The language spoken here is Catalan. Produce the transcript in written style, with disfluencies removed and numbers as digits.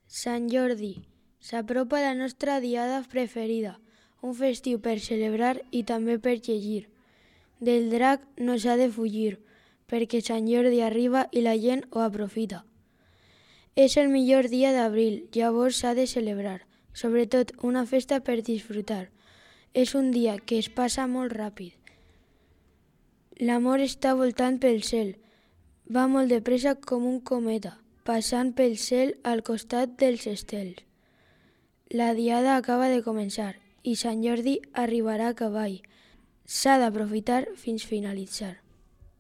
Sant Jordi. S'apropa la nostra diada preferida, un festiu per celebrar i també per llegir. Del drac no s'ha de fugir, perquè Sant Jordi arriba i la gent ho aprofita. És el millor dia d'abril, llavors s'ha de celebrar, sobretot una festa per disfrutar. És un dia que es passa molt ràpid. L'amor està voltant pel cel, va molt de pressa com un cometa, passant pel cel al costat dels estels. La diada acaba de començar i Sant Jordi arribarà a cavall. S'ha d'aprofitar fins finalitzar.